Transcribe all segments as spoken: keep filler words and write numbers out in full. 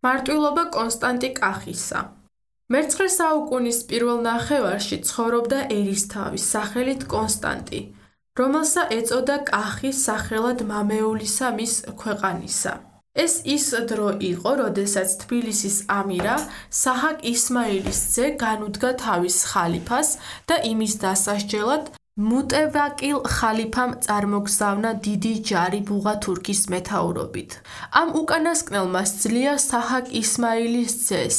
მარტვილობა კონსტანტი კახისა. მეცხრე საუკუნის პირველ ნახევარში ცხოვრობდა ერისთავი სახელით კონსტანტი, რომელსა ეწოდა კახი სახელად მამეულისა მის ქვეყანისა. ეს ის დრო იყო, როდესაც თბილისის ამირა საჰაკ ისმაილის ძე განუდგა თავის ხალიფას და იმის დასასჯელად მუტევაკილ ხალიფამ წარმოგზავნა დიდი ჯარი ბუღათურქის მეთაურობით. ამ უკანასკნელმა სძლია საჰაკ ისმაილის ძეს.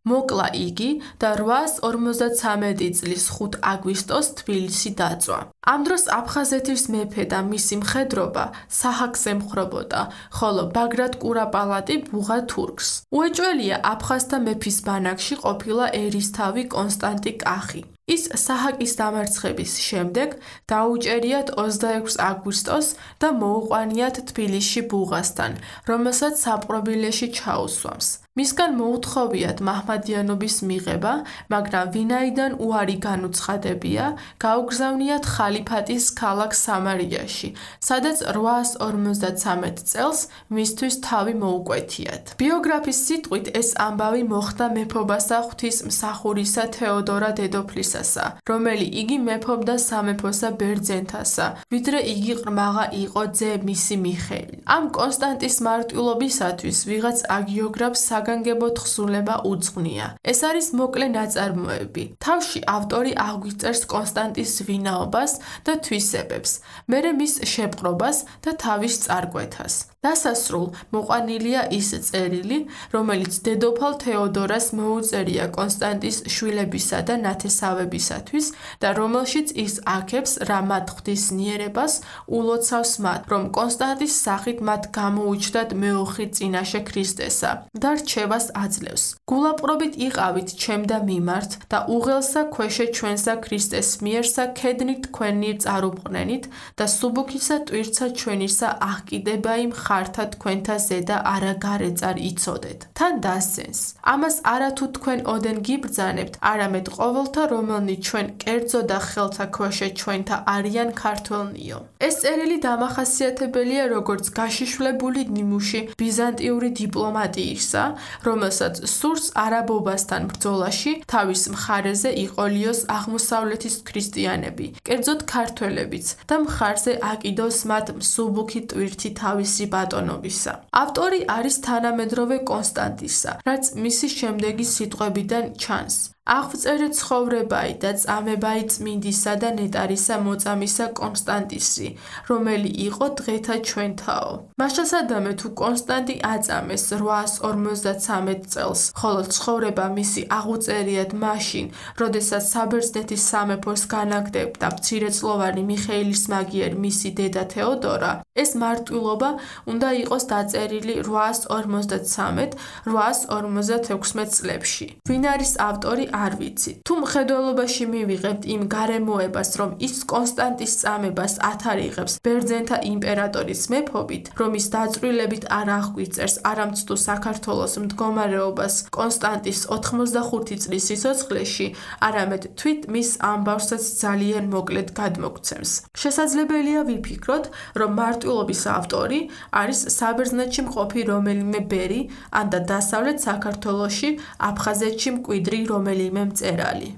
მოკლა იგი და რვაას ორმოცდათვრამეტი წლის ხუთ აგვისტოს თბილისი დაწვა. ამ დროს აფხაზეთის მეფე და მისი მხედრობა საჰაკს ემხრობოდა, ხოლო ბაგრატ კურაპალატი ბუღათურქს. უეჭველია აფხაზთა მეფის ბანაკში ყოფილა ერისთავი კონსტანტი კახი. ის საჰაკის დამარცხების შემდეგ დაუჭერიათ ოცდაექვსი აგვისტოს და მოუყვანიათ თბილისში ბუღასთან, რომელსაც საპყრობილეში ჩაუსვამს. მისგან მოუთხოვიათ მაჰმადიანობის მიღება, მაგრამ ვინაიდან უარი განუცხადებია, გაუგზავნიათ ხალიფატის ქალაქ სამარიაში, სადაც რვაას ორმოცდათვრამეტ წელს მისთვის თავი მოუკვეთიათ. ბიოგრაფის სიტყვით ეს ამბავი მოხდა მეფობასა ღვთისმსახურისა თეოდორა დედოფლისასა, რომელი იგი მეფობდა სამეფოსა ბერძენთასა, ვიდრე იგი ყრმაღა იყო ძე მისი მიხეილი. ამ კონსტანტის მარტვილობისათვის ვიღაც აგიოგრაფს საგანგებო თხზულება უძღვნია. ეს არის მოკლე ნაწარმოები. თავში ავტორი აღვიწერს კონსტანტის ვინაობას და თვისებებს, მერე მის შეპყრობას და თავის წარკვეთას. დასასრულ მოყვანილია ის წერილი, რომელიც დედოფალ თეოდორას მოუწერია კონსტანტის შვილებისა და ნათესავებისათვის და რომელშიც ის აქებს რა მათ ღვთისნიერებას ულოცავს მათ, რომ კონსტანტის სახით მათ გამოუჩნდათ მეოხი წინაშე ქრისტესა და რჩევას აძლევს. გულაპყრობით იყავით ჩემ და მიმართ და უღელსა ქვეშე ჩვენსა ქრისტეს მიერსა ქედნით თქვენი წარუბრყნენით და სუბუქისა ტვირცა ჩვენისა აღკიდებაი ხართა თქვენთა ზედა არა გარეწარ იცოდეთ. თან დასცენს. ამას არათუ თქვენ ოდენ გიბრძანებთ, არამედ ყოველთა რომელნი ჩვენ კერძო და ხელთა ქვეშე ჩვენთა არიან ქართველნიო. ეს წერილი დამახასიათებელია როგორც გაშიშვლებული ნიმუში ბიზანტიური დიპლომატიისა, რომელსაც სურს არაბობასთან ბრძოლაში თავის მხარეზე იყოლიოს აღმოსავლეთის ქრისტიანები, კერძოდ ქართველებიც და მხარზე აკიდოს მათ მსუბუქი ტვირთი თავისი ბატონობისა. ავტორი არის თანამედროვე კონსტანტისა, რაც მისი შემდეგი სიტყვებიდან ჩანს. აღვწერე ცხოვრებაი და წამებაი წმინდისა და ნეტარისა მოწამისა კონსტანტისი, რომელი იყო დღეთა ჩვენთაო. მაშასადამე თუ კონსტანტი აწამეს რვაას ორმოცდათვრამეტ წელს, ხოლო ცხოვრება მისი აღუწერიათ მაშინ, როდესაც საბერძნეთის სამეფოს განაგდებდა მცირეწლოვანი მიხეილის მაგიერ მისი დედა თეოდორა, ეს მარტვილობა უნდა იყოს დაწერილი რვაას ორმოცდათვრამეტ რვაას ორმოცდათექვსმეტ წლებში. ვინ არის ავტორი არ ვიცით. თუ მხედველობაში მივიღებთ იმ გარემოებას, რომ ის კონსტანტის წამებას ათარიღებს ბერძენთა იმპერატორის მეფობით, რომ ის დაწვრილებით არ აღგვიწერს არამცდუ საქართველოს მდგომარეობას კონსტანტის ოთხმოცდახუთი წლის სიცოცხლეში, არამედ თვით მის ამბავსაც ძალიან მოკლედ გადმოგცემს. შესაძლებელია ვიფიქროთ, რომ მარტვილობის ავტორი არის საბერძნეთში მყოფი რომელიმე ბერი ან და დასავლეთ საქართველოში აფხაზეთში მკვიდრი რომელიმე მწერალი.